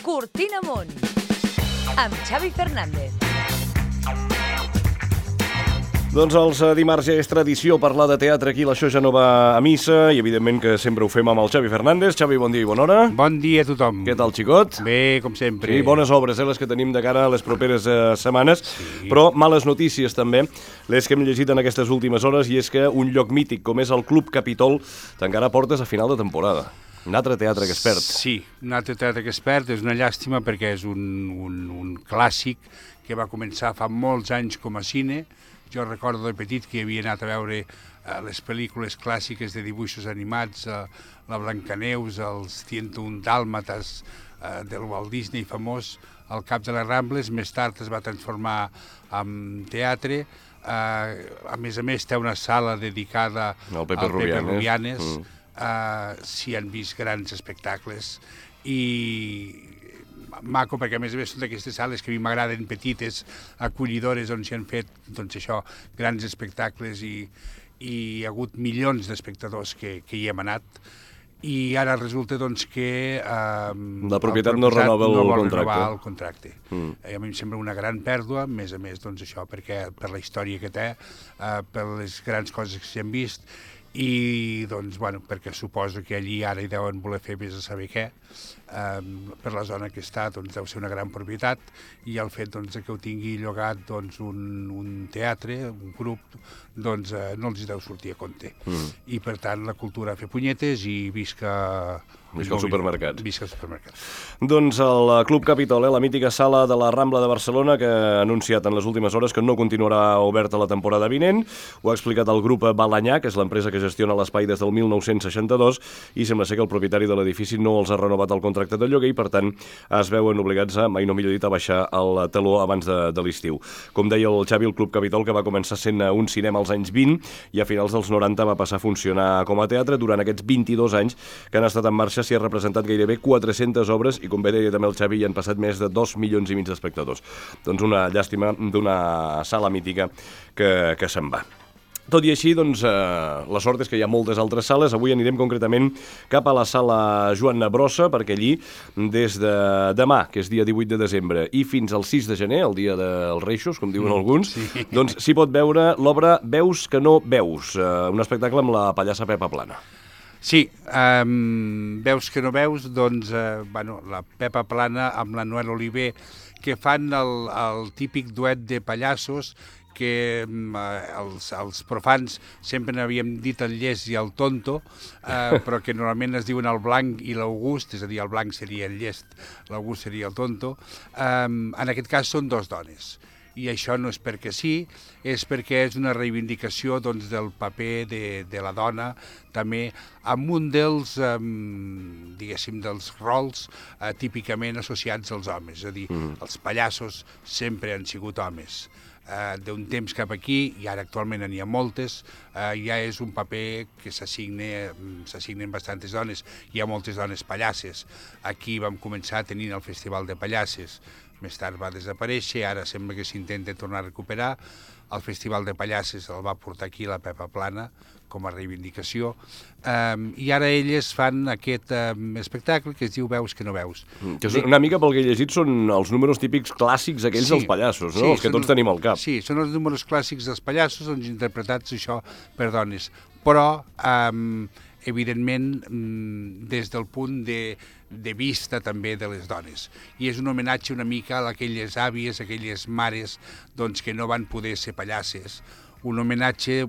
Cortina Amunt, amb Xavi Fernández. Doncs els dimarts ja és tradició parlar de teatre aquí, l'això ja no va a missa i evidentment que sempre ho fem amb el Xavi Fernández. Xavi, bon dia i bona hora. Bon dia a tothom. Què tal, xicot? Bé, com sempre. Sí, bones obres, les que tenim de cara a les properes setmanes, sí. Però males notícies també, les que hem llegit en aquestes últimes hores, i és que un lloc mític com és el Club Capitol tancarà portes a final de temporada. Un altre teatre que es perd. Sí, un altre teatre que es perd, és una llàstima perquè és un clàssic que va començar fa molts anys com a cine. Jo recordo de petit que havia anat a veure les pel·lícules clàssiques de dibuixos animats, la Blancaneus, els 101 Dàlmates del Walt Disney famós, al Cap de les Rambles. Més tard es va transformar en teatre. A més, té una sala dedicada al Pepe Rubianes. S'hi han vist grans espectacles i maco, perquè a més són d'aquestes sales que a mi m'agraden, petites, acollidores, on s'hi han fet, doncs això, grans espectacles i hi ha hagut milions d'espectadors que hi hem anat. I ara resulta doncs que la propietat no renova el contracte. A mi em sembla una gran pèrdua, a més doncs això, perquè per la història que té, per les grans coses que s'hi han vist, i doncs, bueno, perquè suposo que allí ara hi deuen voler fer vés a saber què, per la zona que està, doncs deu ser una gran propietat, i el fet doncs, que ho tingui llogat doncs, un teatre, un grup, doncs no els deu sortir a compte. I per tant la cultura a fer punyetes i visca els supermercats. Visca els supermercats. Doncs el Club Capitol, la mítica sala de la Rambla de Barcelona, que ha anunciat en les últimes hores que no continuarà oberta la temporada vinent. Ho ha explicat el grup Balanyà, que és l'empresa que gestiona l'espai des del 1962, i sembla ser que el propietari de l'edifici no els ha renovat el contracte de lloguer i, per tant, es veuen obligats a, mai no millor dit, a baixar el taló abans de l'estiu. Com deia el Xavi, el Club Capitol, que va començar sent un cinema als anys 20 i a finals dels 90 va passar a funcionar com a teatre. Durant aquests 22 anys que han estat en marxa s'hi ha representat gairebé 400 obres i, com bé deia també el Xavi, hi han passat més de 2,5 milions d'espectadors. Doncs una llàstima d'una sala mítica que se'n va. Tot i així, doncs, la sort és que hi ha moltes altres sales. Avui anirem concretament cap a la sala Joan Brossa, perquè allí, des de demà, que és dia 18 de desembre, i fins al 6 de gener, el dia dels Reixos, com diuen alguns, sí. Doncs s'hi pot veure l'obra Veus que no veus, un espectacle amb la pallassa Pepa Plana. Sí, Veus que no veus, doncs, la Pepa Plana amb la Noel Oliver, que fan el típic duet de pallassos que els profans sempre n'havíem dit el llest i el tonto, però que normalment es diuen el blanc i l'August, és a dir, el blanc seria el llest, l'August seria el tonto. En aquest cas són dos dones. I això no és perquè sí, és perquè és una reivindicació doncs, del paper de la dona, també amb un dels, diguéssim, dels rols típicament associats als homes. És a dir, els pallassos sempre han sigut homes. D'un temps cap aquí, i ara actualment n'hi ha moltes, ja és un paper que s'assignen bastantes dones. Hi ha moltes dones pallasses. Aquí vam començar tenint el Festival de Pallasses, més tard va desaparèixer, ara sembla que s'intenta tornar a recuperar. El Festival de Pallasses el va portar aquí la Pepa Plana com a reivindicació, i ara elles fan aquest espectacle que es diu Veus que no veus. Que una mica pel que he llegit són els números típics clàssics aquells dels pallassos, no? Els que tots tenim al cap. Sí, són els números clàssics dels pallassos, doncs interpretats això per dones, però evidentment des del punt de vista també de les dones. I és un homenatge una mica a aquelles àvies, a aquelles mares doncs, que no van poder ser pallasses. Un homenatge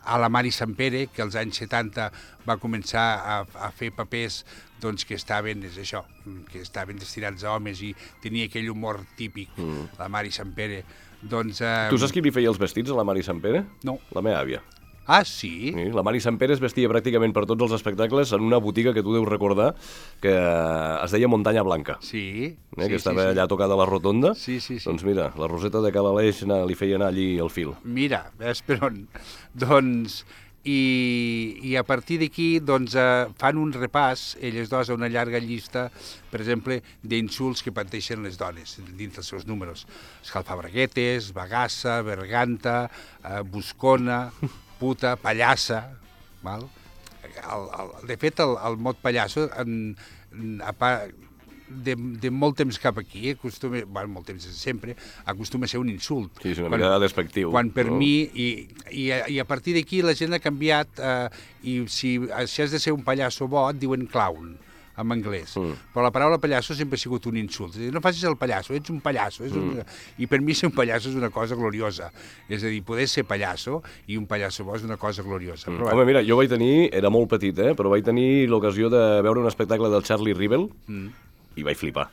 a la Mari Sampere, que als anys 70 va començar a fer papers doncs, que estaven destinats a homes i tenia aquell humor típic, la Mari Sampere. Doncs, tu saps qui li feia els vestits a la Mari Sampere? No. La meva àvia. Ah, sí? Sí, la Mari Sampere es vestia pràcticament per tots els espectacles en una botiga que tu deus recordar que es deia Muntanya Blanca. Sí. Que estava allà tocada a la rotonda. Sí. Doncs mira, la Roseta de Cal Aleix li feia anar allí el fil. Mira, ves per on? Doncs, i a partir d'aquí doncs, fan un repàs, elles dos, a una llarga llista, per exemple, d'insults que pateixen les dones dins dels seus números. Escalfabraguetes, bagassa, berganta, buscona, puta, pallassa, val? De fet, el mot pallasso de molt temps cap aquí, molt temps sempre, acostuma a ser un insult. Sí, és una mica despectiu. Quan per mi, i a partir d'aquí la gent ha canviat, i si has de ser un pallasso bo, et diuen clown, en anglès. Però la paraula pallasso sempre ha sigut un insult. És a dir, no facis el pallasso, ets un pallasso. I per mi ser un pallasso és una cosa gloriosa. És a dir, poder ser pallasso i un pallasso bo és una cosa gloriosa. Però, Home, mira, jo vaig tenir, era molt petit, però vaig tenir l'ocasió de veure un espectacle del Charlie Rivel i vaig flipar.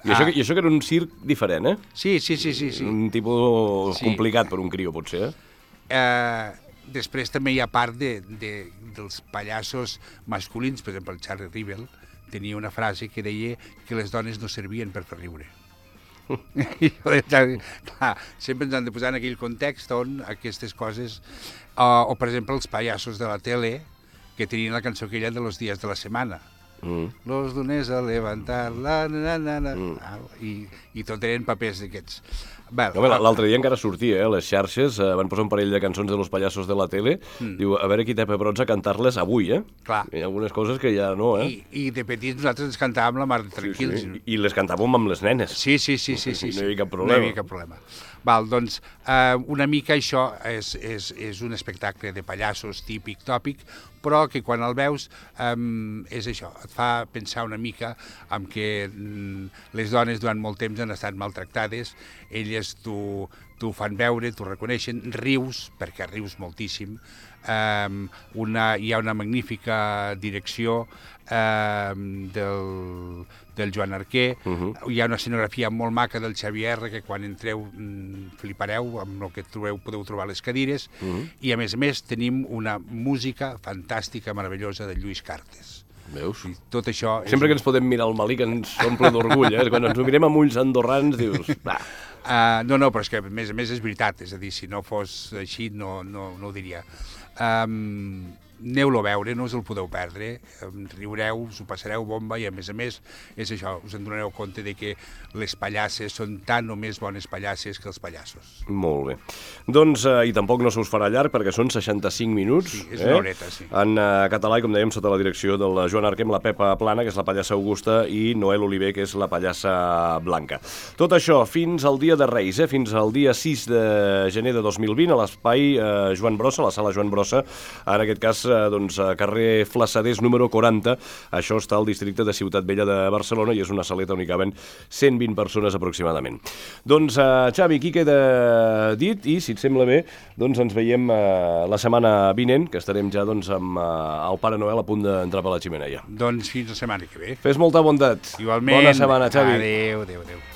I això que era un circ diferent, Sí. Un tipus complicat per un crió, potser, Després també hi ha part dels pallassos masculins, per exemple, el Charlie Rivel tenia una frase que deia que les dones no servien per fer riure. Clar, sempre ens han de posar en aquell context on aquestes coses... O, per exemple, els pallassos de la tele, que tenien la cançó aquella de los días de la semana. Los lunes a levantar la i tot eren papers d'aquests. L'altre dia encara sortia, les xarxes van posar un parell de cançons de los pallassos de la tele, diu, a veure qui té pebrots a cantar-les avui, Clar. Hi ha algunes coses que ja no, I de petits nosaltres ens cantàvem la mar de tranquils. Sí. I les cantàvem amb les nenes. Sí. No hi havia cap problema. No hi havia cap problema. Doncs una mica això és un espectacle de pallassos típic, tòpic, però que quan el veus és això, et fa pensar una mica en que les dones durant molt temps han estat maltractades, elles t'ho fan veure, t'ho reconeixen, rius, perquè rius moltíssim, hi ha una magnífica direcció del Joan Arquer, hi ha una escenografia molt maca del Xavier R, que quan entreu flipareu amb el que trobeu, podeu trobar les cadires, i a més tenim una música fantàstica, meravellosa de Lluís Cartes. Veus? I tot això... Sempre que ens podem mirar el Malí, que ens omple d'orgull, quan ens ho mirem amb ulls andorrans, dius... No, però és que a més és veritat, és a dir, si no fos així no ho diria. Aneu-lo a veure, no us el podeu perdre, riureu, us ho passareu bomba i a més és això, us en donareu compte de que les pallasses són tan o més bones pallasses que els pallassos. Molt bé. Doncs, i tampoc no se us farà llarg perquè són 65 minuts. Sí, és una horeta, sí. En català, i com dèiem, sota la direcció del Joan Arquer, amb la Pepa Plana, que és la pallassa Augusta, i Noel Oliver, que és la pallassa Blanca. Tot això fins al dia de Reis, fins al dia 6 de gener de 2020, a l'espai Joan Brossa, la sala Joan Brossa, en aquest cas carrer Flassaders número 40. Això està al districte de Ciutat Vella de Barcelona i és una saleta on hi caben 120 persones aproximadament. Doncs, Xavi, aquí queda dit i, si et sembla bé, doncs ens veiem la setmana vinent, que estarem ja amb el Pare Noel a punt d'entrar per la xemeneia. Doncs fins la setmana que ve. Fes molta bondat. Igualment. Bona setmana, Xavi. Adéu.